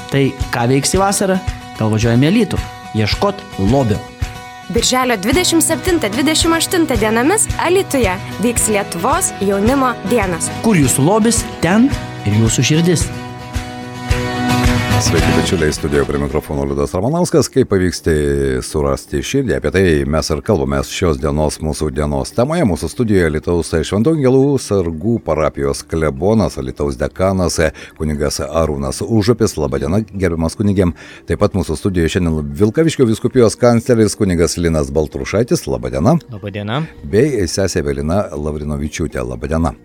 Tai ką veiksi vasarą? Gal važiuojame į Alytų? Ieškot lobio. Birželio 27-28 dienomis Alytuje vyks Lietuvos jaunimo dienos. Kur jūsų lobis, ten ir jūsų širdis. Sveiki, bičiuliai, studijoje prie mikrofono Liudas Ramanauskas. Kaip pavyksta surasti širdį, apie tai mes ir kalbame šios dienos mūsų dienos temoje. Mūsų studijoje Alytaus Šventų Angelų sargų parapijos klebonas, Alytaus dekanas, kunigas Arūnas Užupis. Labadiena, gerbiamas kunigėm. Taip pat mūsų studijoje šiandien Vilkaviškio vyskupijos kancleris kunigas Linas Baltrušaitis. Labadiena. Labadiena. Bei sesė Evelina Lavrinovičiūtė. Labadiena.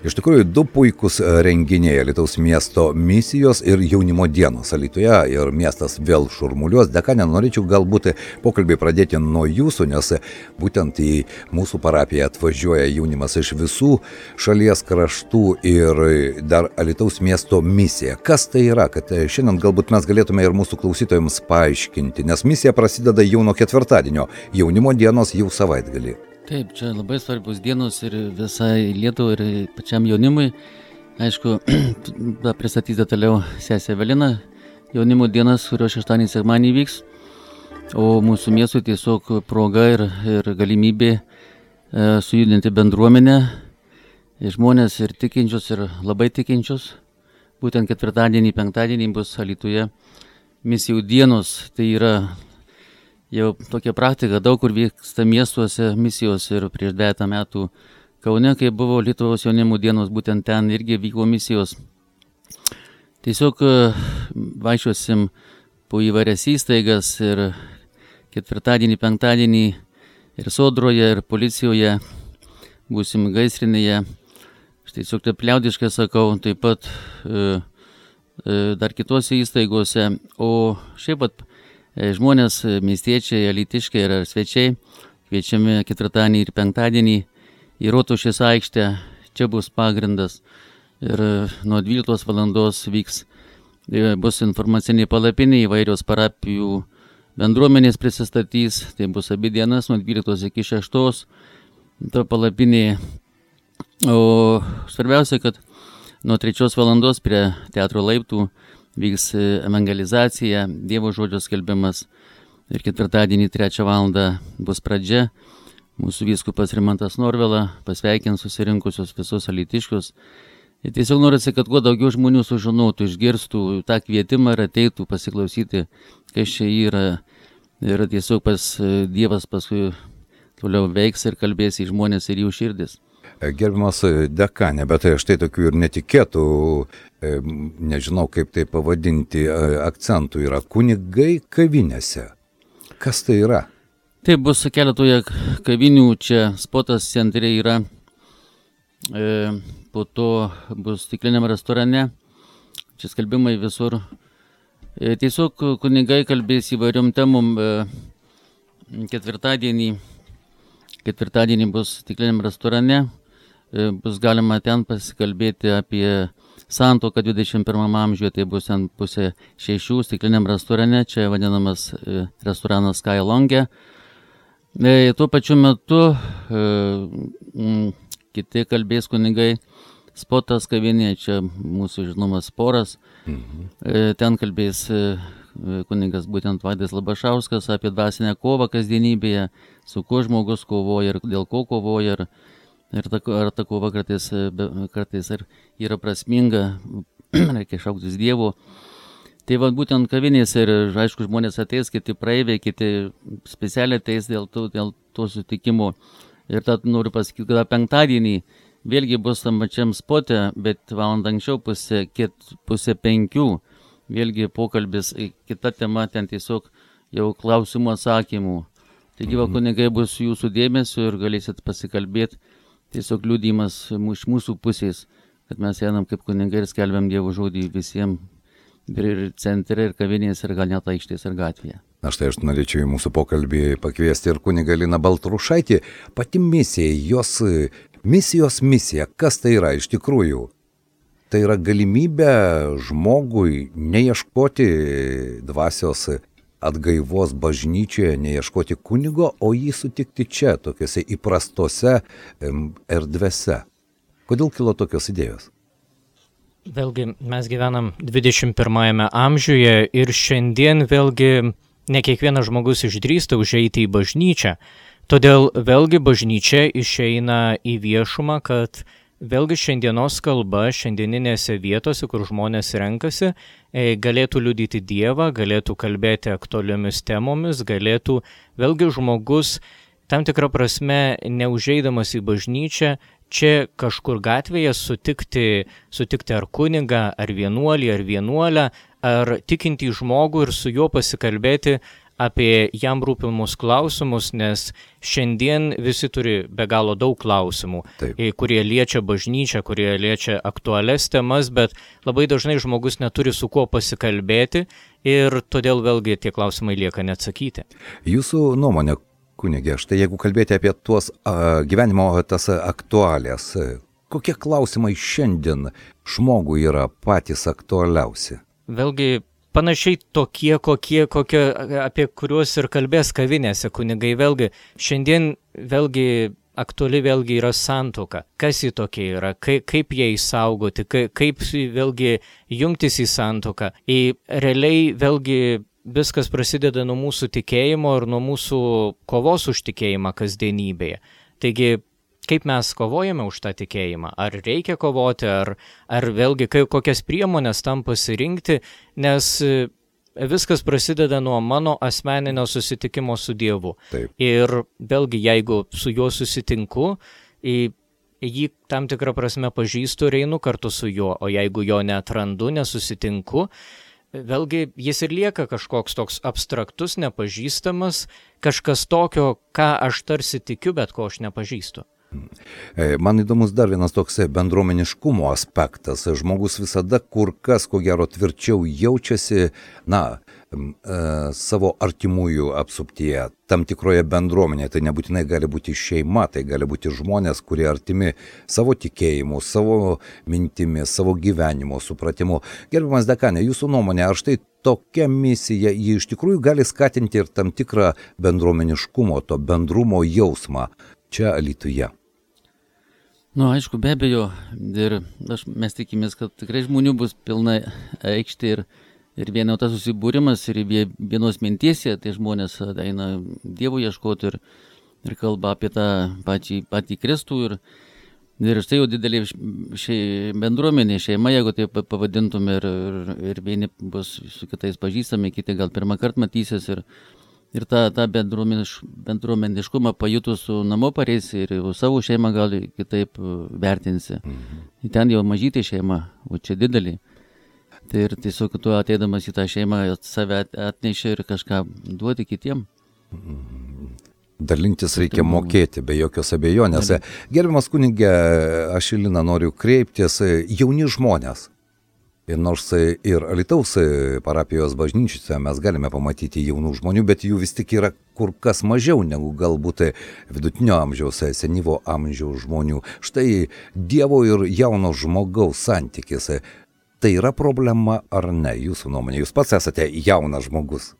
Iš tikrųjų, du puikūs renginiai – Alytaus miesto misijos ir jaunimo dienos Alytuje ir miestas vėl šurmuliuos. Dekane, norėčiau galbūt pokalbį pradėti nuo jūsų, nes būtent į mūsų parapiją atvažiuoja jaunimas iš visų šalies kraštų ir dar Alytaus miesto misija. Kas tai yra, kad šiandien galbūt mes galėtume ir mūsų klausytojams paaiškinti, nes misija prasideda jau nuo ketvirtadienio, jaunimo dienos jau savaitgalį. Taip, čia labai svarbus dienos ir visai Lietuvai ir pačiam jaunimui. Aišku, pristatys detaliau sesė Evelina jaunimo dienas, kurio šeštadienį sekmadienį vyks. O mūsų miestui tiesiog proga ir galimybė sujudinti bendruomenę, žmonės ir tikinčius, ir labai tikinčius. Būtent ketvirtadienį, penktadienį bus Alytuje misijų dienos, tai yra jau tokia praktika, daug kur vyksta miestuose misijos ir prieš 10 metų Kaune, kai buvo Lietuvos jaunimo dienos, būtent ten irgi vyko misijos. Tiesiog vaikščiosim po įvairias įstaigas ir ketvirtadienį, penktadienį ir sodroje, ir policijoje, būsim gaisrinėje. Aš tiesiog taip liaudiškai sakau, taip pat dar kitose įstaigose, o šiaip pat žmonės, miestiečiai, alytiškiai ir svečiai kviečiami ketvirtadienį ir penktadienį į Rotušės aikštę. Čia bus pagrindas ir nuo 12 valandos bus informaciniai palapiniai, įvairios parapijų bendruomenės prisistatys. Tai bus abi dienas nuo 12 iki 6 to palapiniai. O svarbiausia, kad nuo 3 valandos prie teatro laiptų vyks evangelizacija, Dievo žodžio skelbimas ir ketvirtadienį 3 valandą bus pradžia. Mūsų vyskupas Rimantas Norvila pasveikins susirinkusius visus alytiškius. Ir tiesiog norisi, kad kuo daugiau žmonių sužinotų, išgirstų tą kvietimą ir ateitų pasiklausyti, kas čia yra. Ir tiesiog Dievas paskui toliau veiks ir kalbės į žmonės ir jų širdis. Gerbiamas dekane, bet štai tokių ir netikėtų, nežinau kaip tai pavadinti, akcentų yra kunigai kavinėse. Kas tai yra? Tai bus keletoje kavinių, čia spotas centre yra, po to bus stikliniam restorane, čia skelbimai visur. Tiesiog kunigai kalbės įvairiom temom. Ketvirtadienį bus stikliniam restorane. Bus galima ten pasikalbėti apie santuoką 21 amžiuje, tai bus ant 5:30 stikliniam restorane, čia vadinamas restoranas Sky Lounge. Tuo pačiu metu kiti kalbės kunigai, spotas kavinė, čia mūsų žinomas Sporas. Ten kalbės kunigas būtent Vaidas Labašauskas apie dvasinę kovą kasdienybėje, su kuo žmogus kovoja ir dėl ko kovoja. Ir ta kova kartais yra prasminga, reikia šauktis Dievo. Tai va būtent kavinės ir aišku žmonės ateis, kiti praeiviai, kiti specialiai ateis dėl to sutikimo. Ir tad noriu pasakyti, kad penktadienį vėlgi bus tam pačiam spote, bet valandą anksčiau 4:30, vėlgi pokalbis, kita tema, ten tiesiog jau klausimų atsakymų. Taigi va kunigai bus jūsų dėmesio ir galėsit pasikalbėti. Tiesiog liudijimas iš mūsų pusės, kad mes einam kaip kunigai ir skelbiam Dievo žodį visiems ir centre, ir kavinės, ir gal net aikštės, ir gatvėje. Na štai aš norėčiau į mūsų pokalbį pakviesti ir kunigą Liną Baltrušaitį. Pati misija, jos misija, kas tai yra iš tikrųjų? Tai yra galimybė žmogui neieškoti dvasios atgaivos bažnyčioje, neieškoti kunigo, o jį sutikti čia, tokiuose įprastose erdvėse. Kodėl kilo tokios idėjos? Vėlgi mes gyvenam 21 amžiuje ir šiandien vėlgi ne kiekvienas žmogus išdrįsta užeiti į bažnyčią. Todėl vėlgi bažnyčia išeina į viešumą, kad vėlgi šiandienos kalba, šiandieninėse vietose, kur žmonės renkasi, galėtų liudyti Dievą, galėtų kalbėti aktualiomis temomis, galėtų vėlgi žmogus tam tikrą prasme neužeidamas į bažnyčią, čia kažkur gatvėje sutikti ar kunigą, ar vienuolį, ar vienuolę, ar tikintį žmogų ir su juo pasikalbėti apie jam rūpimus klausimus, nes šiandien visi turi be galo daug klausimų, kurie liečia bažnyčią, kurie liečia aktualias temas, bet labai dažnai žmogus neturi su kuo pasikalbėti ir todėl vėlgi tie klausimai lieka neatsakyti. Jūsų nuomonė, kunigė, štai jeigu kalbėti apie tuos gyvenimo tas aktualijas, kokie klausimai šiandien žmogui yra patys aktualiausi? Vėlgi panašiai tokie, apie kuriuos ir kalbės kavinėse kunigai. Vėlgi šiandien aktuali vėlgi yra santuoka. Kas ji tokia yra, kaip ją išsaugoti, kaip vėlgi jungtis į santuoką. Realiai vėlgi viskas prasideda nuo mūsų tikėjimo ir nuo mūsų kovos už tikėjimą kasdienybėje. Taigi, kaip mes kovojame už tą tikėjimą? Ar reikia kovoti, ar vėlgi kokias priemonės tam pasirinkti, nes viskas prasideda nuo mano asmeninio susitikimo su Dievu. Taip. Ir vėlgi, jeigu su juo susitinku, jį tam tikrą prasme pažįstu ir einu kartu su juo, o jeigu jo neatrandu, nesusitinku, vėlgi jis ir lieka kažkoks toks abstraktus, nepažįstamas, kažkas tokio, ką aš tarsi tikiu, bet ko aš nepažįstu. Man įdomus dar vienas toks bendruomeniškumo aspektas. Žmogus visada kur kas, ko gero, tvirčiau jaučiasi, savo artimųjų apsuptyje, tam tikroje bendruomenėje. Tai nebūtinai gali būti šeima, tai gali būti žmonės, kurie artimi savo tikėjimu, savo mintimis, savo gyvenimo supratimu. Gerbiamas dekanė, jūsų nuomonė, ar štai tokia misija, ji iš tikrųjų gali skatinti ir tam tikrą bendruomeniškumo, to bendrumo jausmą čia Alytuje? Aišku, be abejo, ir mes tikimės, kad tikrai žmonių bus pilna aikštė ir vienas susibūrimas ir vienos minties, tai žmonės eina Dievo ieškoti ir kalba apie tą patį Kristų ir štai jau didelė bendruomenė, šeima, jeigu tai pavadintume, ir vieni bus su kitais pažįstami, kiti gal pirmą kartą matysis ir tą bendruomeniškumą pajutus su namo pareisi ir savo šeimą gal kitaip vertinsi. Ten jau mažytė šeima, o čia didelė. Tai ir tiesiog tu ateidamas į tą šeimą save atneši ir kažką duoti kitiem. Dalintis reikia mokėti, be jokios abejonės. Gerbiamas kunige, aš į Liną noriu kreiptis, jauni žmonės. Ir nors ir Alytaus parapijos bažnyčiose mes galime pamatyti jaunų žmonių, bet jų vis tik yra kur kas mažiau negu galbūt vidutinio amžiaus, senyvo amžiaus žmonių. Štai Dievo ir jauno žmogaus santykis. Tai yra problema ar ne, jūsų nuomonė? Jūs pats esate jaunas žmogus.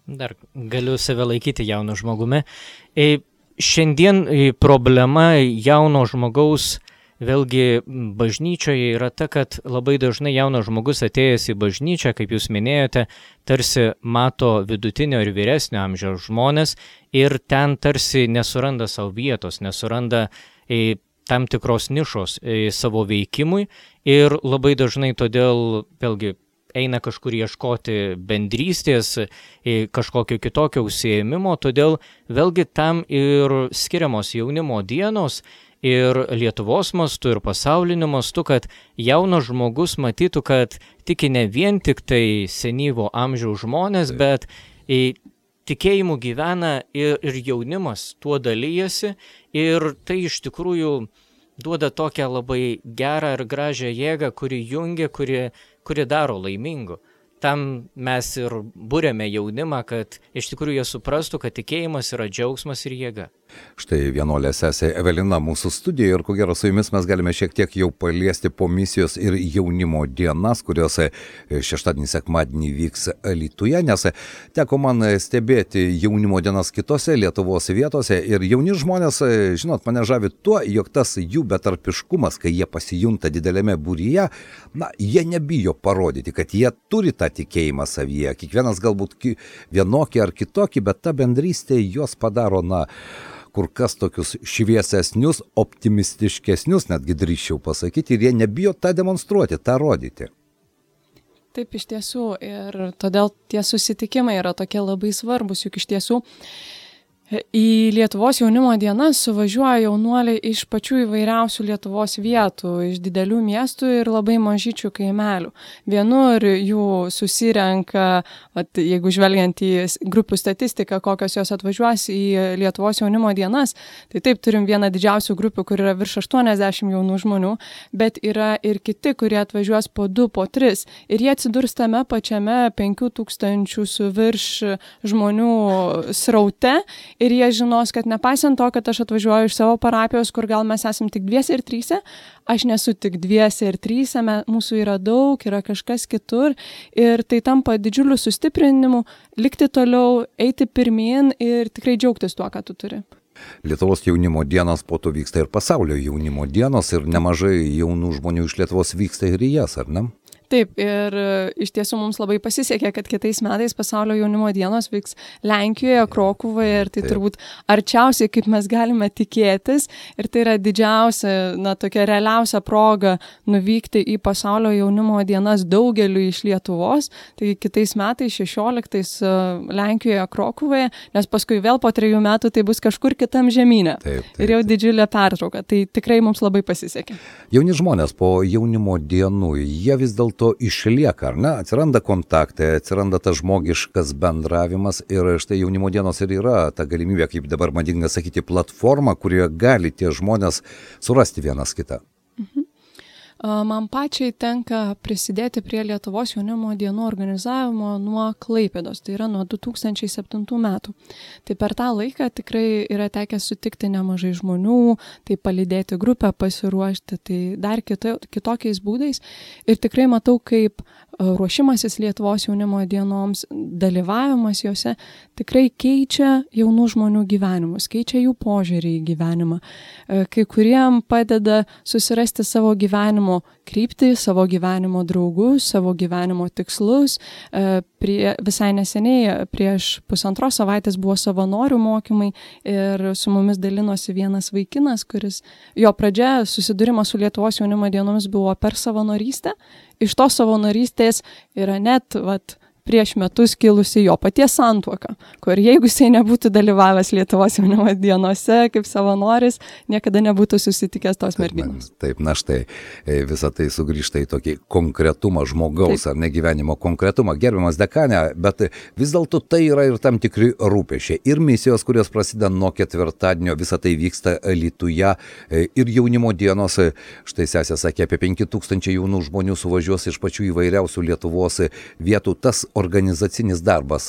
Dar galiu save laikyti jaunu žmogumi. Šiandien problema jauno žmogaus vėlgi bažnyčioje yra ta, kad labai dažnai jaunas žmogus atėjęs į bažnyčią, kaip jūs minėjote, tarsi mato vidutinio ir vyresnio amžiaus žmonės ir ten tarsi nesuranda savo vietos, nesuranda tam tikros nišos savo veikimui ir labai dažnai todėl vėlgi eina kažkur ieškoti bendrystės, kažkokio kitokio užsiėmimo, todėl vėlgi tam ir skiriamos jaunimo dienos ir Lietuvos mastu, ir pasauliniu mastu, kad jaunas žmogus matytų, kad tiki ne vien tik tai senyvo amžiaus žmonės, bet tikėjimu gyvena ir jaunimas tuo dalyjasi ir tai iš tikrųjų duoda tokią labai gerą ir gražią jėgą, kuri jungia, kuri daro laimingu. Tam mes ir būrėme jaunimą, kad iš tikrųjų jie suprastų, kad tikėjimas yra džiaugsmas ir jėga. Štai vienuolė sesė Evelina mūsų studijoje ir ko gero su jumis mes galime šiek tiek jau paliesti po misijos ir jaunimo dienas, kurios šeštadienį, sekmadienį vyks Alytuje, nes teko man stebėti jaunimo dienas kitose Lietuvos vietose ir jauni žmonės, žinot, mane žavi tuo, jog tas jų betarpiškumas, kai jie pasijunta didelėme būryje, jie nebijo parodyti, kad jie turi tą tikėjimą savyje, kiekvienas galbūt vienokį ar kitokį, bet ta bendrystė juos padaro, kur kas tokius šviesesnius, optimistiškesnius, netgi drįsčiau pasakyti, ir jie nebijo tą demonstruoti, tą rodyti. Taip, iš tiesų, ir todėl tie susitikimai yra tokie labai svarbus, juk iš tiesų į Lietuvos jaunimo dienas suvažiuoja jaunuoliai iš pačių įvairiausių Lietuvos vietų, iš didelių miestų ir labai mažyčių kaimelių. Vienur jų susirenka, jeigu žvelgiant į grupių statistiką, kokios jos atvažiuos į Lietuvos jaunimo dienas, tai taip turim vieną didžiausių grupių, kur yra virš 80 jaunų žmonių, bet yra ir kiti, kurie atvažiuos po 2, po 3 ir jie atsidurs tame pačiame 5000 su virš žmonių sraute. Ir jie žinos, kad nepaisant to, kad aš atvažiuoju iš savo parapijos, kur gal mes esam tik 2 ir 3, aš nesu tik 2 ir 3, mūsų yra daug, yra kažkas kitur ir tai tampa didžiuliu sustiprinimu, likti toliau, eiti pirmyn ir tikrai džiaugtis tuo, ką tu turi. Lietuvos jaunimo dienos po to vyksta ir pasaulio jaunimo dienos ir nemažai jaunų žmonių iš Lietuvos vyksta ir į jas, ar ne? Taip, ir iš tiesų mums labai pasisekė, kad kitais metais pasaulio jaunimo dienos vyks Lenkijoje, Krokuvoje ir tai turbūt arčiausiai, kaip mes galime tikėtis. Ir tai yra didžiausia, tokia realiausia proga nuvykti į pasaulio jaunimo dienas daugeliu iš Lietuvos. Tai kitais metais 16 Lenkijoje, Krokuvoje, nes paskui vėl po 3 metų tai bus kažkur kitam žemyne. Taip. Ir jau didžiulė pertrauka. Tai tikrai mums labai pasisekė. Jauni žmonės po jaunimo dienų, jie vis dėlto išlieka, ar ne? Atsiranda kontaktai, atsiranda tas žmogiškas bendravimas ir štai jaunimo dienos ir yra ta galimybė, kaip dabar madinga sakyti, platforma, kurioje gali tie žmonės surasti vienas kitą. Man pačiai tenka prisidėti prie Lietuvos jaunimo dienų organizavimo nuo Klaipėdos, tai yra nuo 2007 metų. Tai per tą laiką tikrai yra tekę sutikti nemažai žmonių, tai palydėti grupę, pasiruošti, tai dar kitokiais būdais. Ir tikrai matau, kaip ruošimasis Lietuvos jaunimo dienoms, dalyvavimas juose tikrai keičia jaunų žmonių gyvenimus, keičia jų požiūrį į gyvenimą. Kai kuriem padeda susirasti savo gyvenimo kryptį, savo gyvenimo draugus, savo gyvenimo tikslus. Visai neseniai, prieš 1,5 savaitės buvo savanorių mokymai ir su mumis dalinosi vienas vaikinas, kuris jo pradžia susidūrimas su Lietuvos jaunimo dienomis buvo per savanorystę. Iš tos savanorystės yra net prieš metus kilusi jo paties santuoka, kur jeigu jisai nebūtų dalyvavęs Lietuvos jaunimo dienose kaip savanoris, niekada nebūtų susitikęs tos merginos. Taip, štai, visą tai sugrįžta į tokį konkretumą žmogaus, ar ne gyvenimo konkretumą. Gerbiamas dekane, bet vis dėlto tai yra ir tam tikri rūpesčiai. Ir misijos, kurios prasideda nuo ketvirtadienio, visą tai vyksta Alytuje, ir jaunimo dienos, štai sesė sakė, apie 5000 jaunų žmonių suvažiuos iš pačių įvairiausių Lietuvos vietų. Tas organizacinis darbas,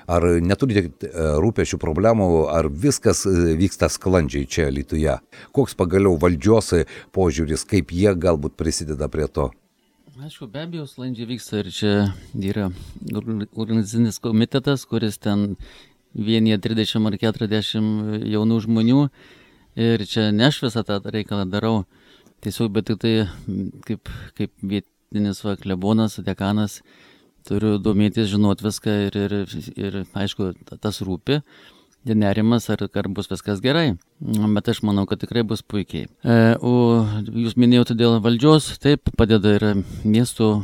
ar neturite rūpesčių problemų, ar viskas vyksta sklandžiai čia Alytuje? Koks pagaliau valdžios požiūris, kaip jie galbūt prisideda prie to? Aišku, be abejo, sklandžiai vyksta ir čia yra organizacinis komitetas, kuris ten vienyje 30 ar 40 jaunų žmonių ir čia ne aš visą tą reikalą darau, tiesiog, bet tik tai kaip vietinis klebonas, dekanas, turiu domėtis, žinot viską ir aišku, tas rūpi, nerimas, ar bus viskas gerai, bet aš manau, kad tikrai bus puikiai. O jūs minėjote dėl valdžios, taip, padeda ir miesto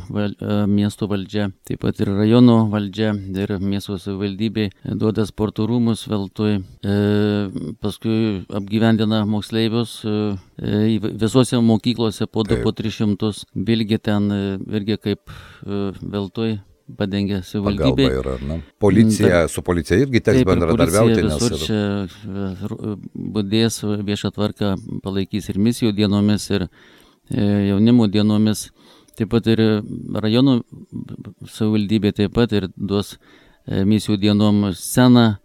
valdžia, taip pat ir rajono valdžia, ir miesto savivaldybė duoda sporto rūmus veltui, paskui apgyvendina moksleivius visose mokyklose po 2-300, vilgi ten irgi kaip veltui padengia savivaldybė. Pagalba yra, ne? Policija, su policija irgi teks bendradarbiauti. Visur čia budės viešą tvarką, palaikys ir misijų dienomis, ir jaunimo dienomis. Taip pat ir rajonų savivaldybė taip pat ir duos misijų dienom sceną,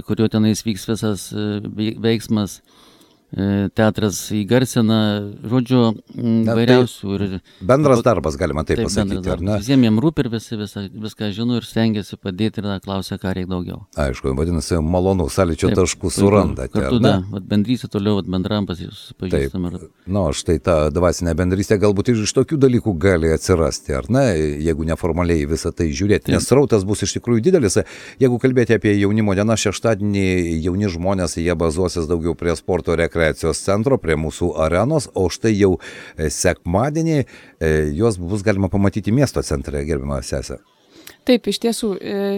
kurio tenais vyks visas veiksmas. Teatras įgarsina, žodžiu, vairiausių. Bendras darbas, galima taip pasakyti, ar ne? Visiems jiems rūpi ir viską žino ir stengiasi padėti ir klausia, ką reikia daugiau. Aišku, vadinasi, malonu, sąlyčio taškų surandate. Kartu, bendrystė toliau, bandram susipažįstam. Štai ta dvasinė bendrystė galbūt iš tokių dalykų gali atsirasti, ar ne, jeigu neformaliai visą tai žiūrėti, nes srautas bus iš tikrųjų didelis. Jeigu kalbėti apie jaunimo dieną, šeštadienį jauni žmonės, jie bazuosis daugiau prie sporto rekreacijos centro, prie mūsų arenos, o štai jau sekmadienį jos bus galima pamatyti miesto centre, gerbiama sesė. Taip, iš tiesų,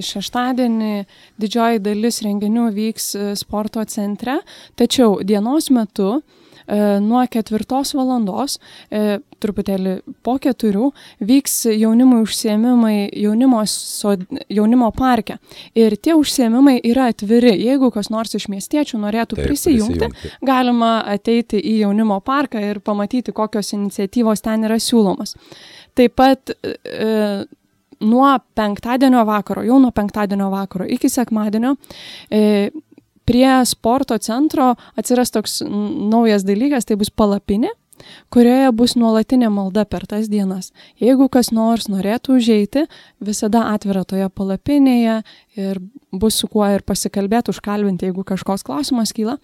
šeštadienį didžioji dalis renginių vyks sporto centre, tačiau dienos metu nuo 4 valandos, truputėlį po 4, vyks jaunimui užsiėmimai jaunimo parke. Ir tie užsiėmimai yra atviri. Jeigu kas nors iš miestiečių norėtų prisijungti, galima ateiti į jaunimo parką ir pamatyti, kokios iniciatyvos ten yra siūlomos. Taip pat nuo penktadienio vakaro iki sekmadienio prie sporto centro atsiras toks naujas dalykas, tai bus palapinė, kurioje bus nuolatinė malda per tas dienas. Jeigu kas nors norėtų užeiti, visada atvira toje palapinėje ir bus su kuo ir pasikalbėti, užkalbinti, jeigu kažkoks klausimas kyla.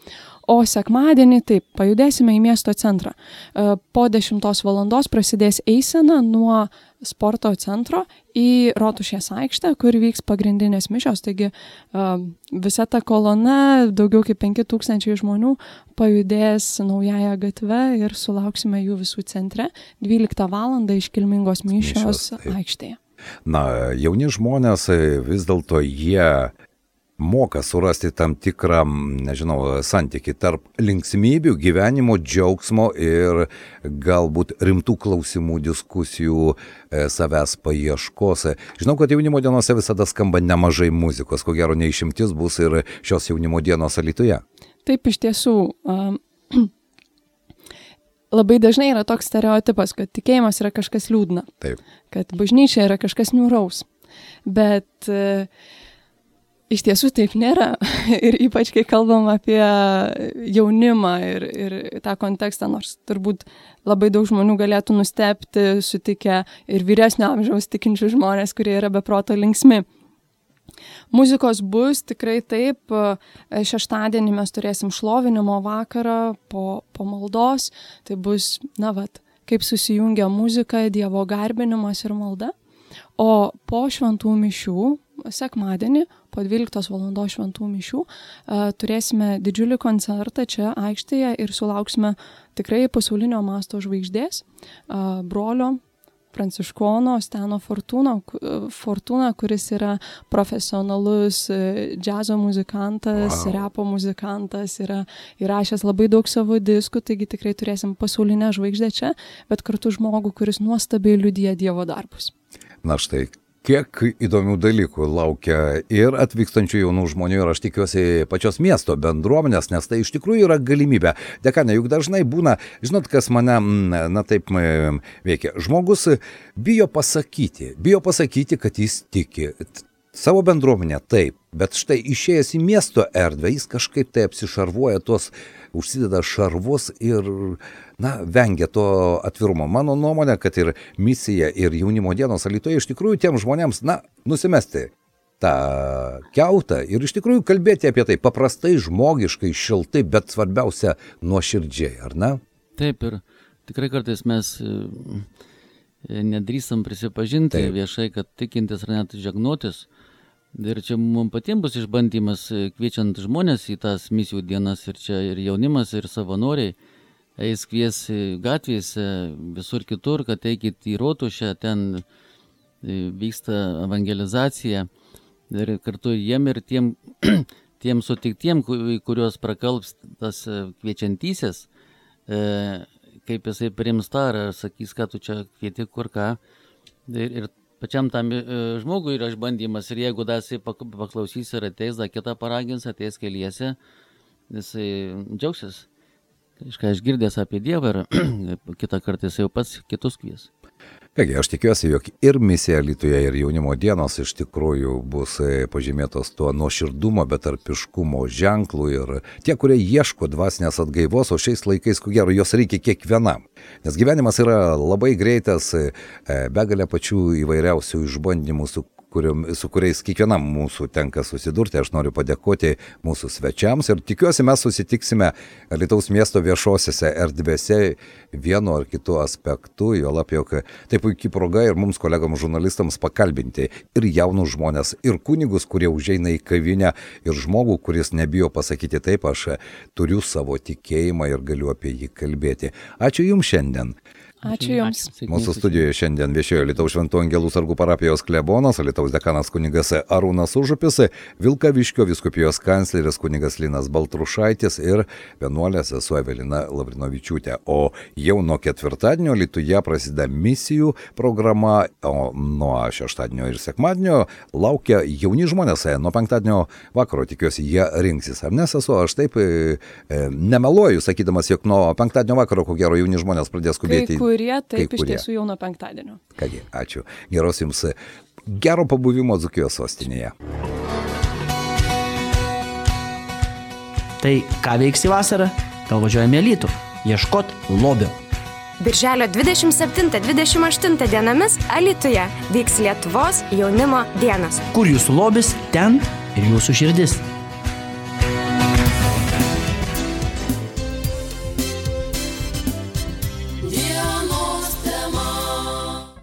O sekmadienį taip, pajudėsime į miesto centrą. Po 10 valandos prasidės eisena nuo sporto centro į Rotušės aikštę, kur vyks pagrindinės mišios. Taigi visa ta kolona, daugiau kaip 5000 žmonių pajudės naująją gatvę ir sulauksime jų visų centre 12 valandą iškilmingos mišios aikštėje. Jauni žmonės vis dėlto jie moka surasti tam tikrą, santykį tarp linksmybių, gyvenimo džiaugsmo ir galbūt rimtų klausimų, diskusijų, savęs paieškos. Žinau, kad jaunimo dienose visada skamba nemažai muzikos, ko gero neišimtis bus ir šios jaunimo dienos Alytuje. Taip, iš tiesų, labai dažnai yra toks stereotipas, kad tikėjimas yra kažkas liūdna, kad bažnyčia yra kažkas niūraus, bet iš tiesų taip nėra. Ir ypač, kai kalbam apie jaunimą ir tą kontekstą, nors turbūt labai daug žmonių galėtų nustebti, sutikę ir vyresnio amžiaus tikinčių žmonės, kurie yra be proto linksmi. Muzikos bus tikrai taip. Šeštadienį mes turėsim šlovinimo vakarą po maldos. Tai bus, kaip susijungia muzika, Dievo garbinimas ir malda. O po šventų mišių, sekmadienį, po 12 valandos šventų mišių, turėsime didžiulį koncertą čia aikštėje ir sulauksime tikrai pasaulinio masto žvaigždės, brolio pranciškono Steno Fortūna, kuris yra profesionalus džiazo muzikantas, repo muzikantas, yra įrašęs labai daug savo diskų, taigi tikrai turėsim pasaulinę žvaigždę čia, bet kartu žmogų, kuris nuostabiai liudija Dievo darbus. Štai, kiek įdomių dalykų laukia ir atvykstančių jaunų žmonių, ir aš tikiuosi pačios miesto bendruomenės, nes tai iš tikrųjų yra galimybė. Dekane, juk dažnai būna, žinot, kas mane, taip veikia. Žmogus bijo pasakyti, kad jis tiki. Savo bendruomenę taip, bet štai išėjęs į miesto erdvę, jis kažkaip tai apsišarvuoja užsideda šarvus ir, vengia to atvirumo. Mano nuomonė, kad ir misija, ir jaunimo dienos Alytuje iš tikrųjų tiem žmonėms, nusimesti tą kiautą ir iš tikrųjų kalbėti apie tai paprastai, žmogiškai, šiltai, bet svarbiausia nuoširdžiai, ar ne? Taip, ir tikrai kartais mes nedrįstam prisipažinti viešai, kad tikintis ar net žegnotis. Ir čia mums patiems bus išbandymas, kviečiant žmonės į tas misijų dienas, ir čia ir jaunimas, ir savanoriai eis kvies gatvėse, visur kitur, kad eikit į Rotušę, ten vyksta evangelizacija. Ir kartu jiem ir tiem sutiktiem, kuriuos prakalbs tas kviečiantysis, kaip jisai priims tą, ar sakys, ką tu čia kvieti, kur ką. Ir pačiam tam žmogui yra išbandymas, ir jeigu jisai paklausys ir ateis, kitą paragins, ateis keliese, jisai džiaugsis, kažką išgirdęs apie Dievą, ir kitą kartą jisai jau pats kitus kvies. Kągi, aš tikiuosi, jog ir misija Alytuje, ir jaunimo dienos iš tikrųjų bus pažymėtos tuo nuoširdumo, betarpiškumo ženklų ir tie, kurie ieško dvasinės atgaivos, o šiais laikais, ko gero, jos reikia kiekvienam. Nes gyvenimas yra labai greitas, begalė pačių įvairiausių išbandymų, su kuriais kiekvienam mūsų tenka susidurti. Aš noriu padėkoti mūsų svečiams ir tikiuosi mes susitiksime Alytaus miesto viešosiose erdvėse vienu ar kitu aspektu, juolab, jog tai puikiai proga ir mums kolegoms žurnalistams pakalbinti ir jaunus žmonės, ir kunigus, kurie užeina į kavinę, ir žmogų, kuris nebijo pasakyti taip, aš turiu savo tikėjimą ir galiu apie jį kalbėti. Ačiū Jums šiandien. Ačiū Jums. Mūsų studijoje šiandien viešėjo Alytaus Šventų Angelų sargų parapijos klebonas, Alytaus dekanas kunigas Arūnas Užupis, Vilkaviškio vyskupijos kancleris kunigas Linas Baltrušaitis ir vienuolė sesuo Evelina Lavrinovičiūtė. O jau nuo ketvirtadienio Alytuje prasideda misijų programa, o nuo šeštadienio ir sekmadienio laukia jauni žmonės. Nuo penktadienio vakaro tikiuosi jie rinksis. Ar ne, sesuo, aš taip nemeluoju, sakydamas, jog nuo penktadienio vakaro, ko gero, jauni žmonės pradės skubėti. Taip, iš tiesų jau nuo penktadienio. Kągi, ačiū. Geros Jums gero pabuvimo Dzūkijos sostinėje. Tai ką veiksi vasarą? Gal važiuojame į Alytų? Ieškot lobio. Birželio 27-28 dienomis Alytuje vyks Lietuvos jaunimo dienos. Kur Jūsų lobis, ten ir Jūsų širdis.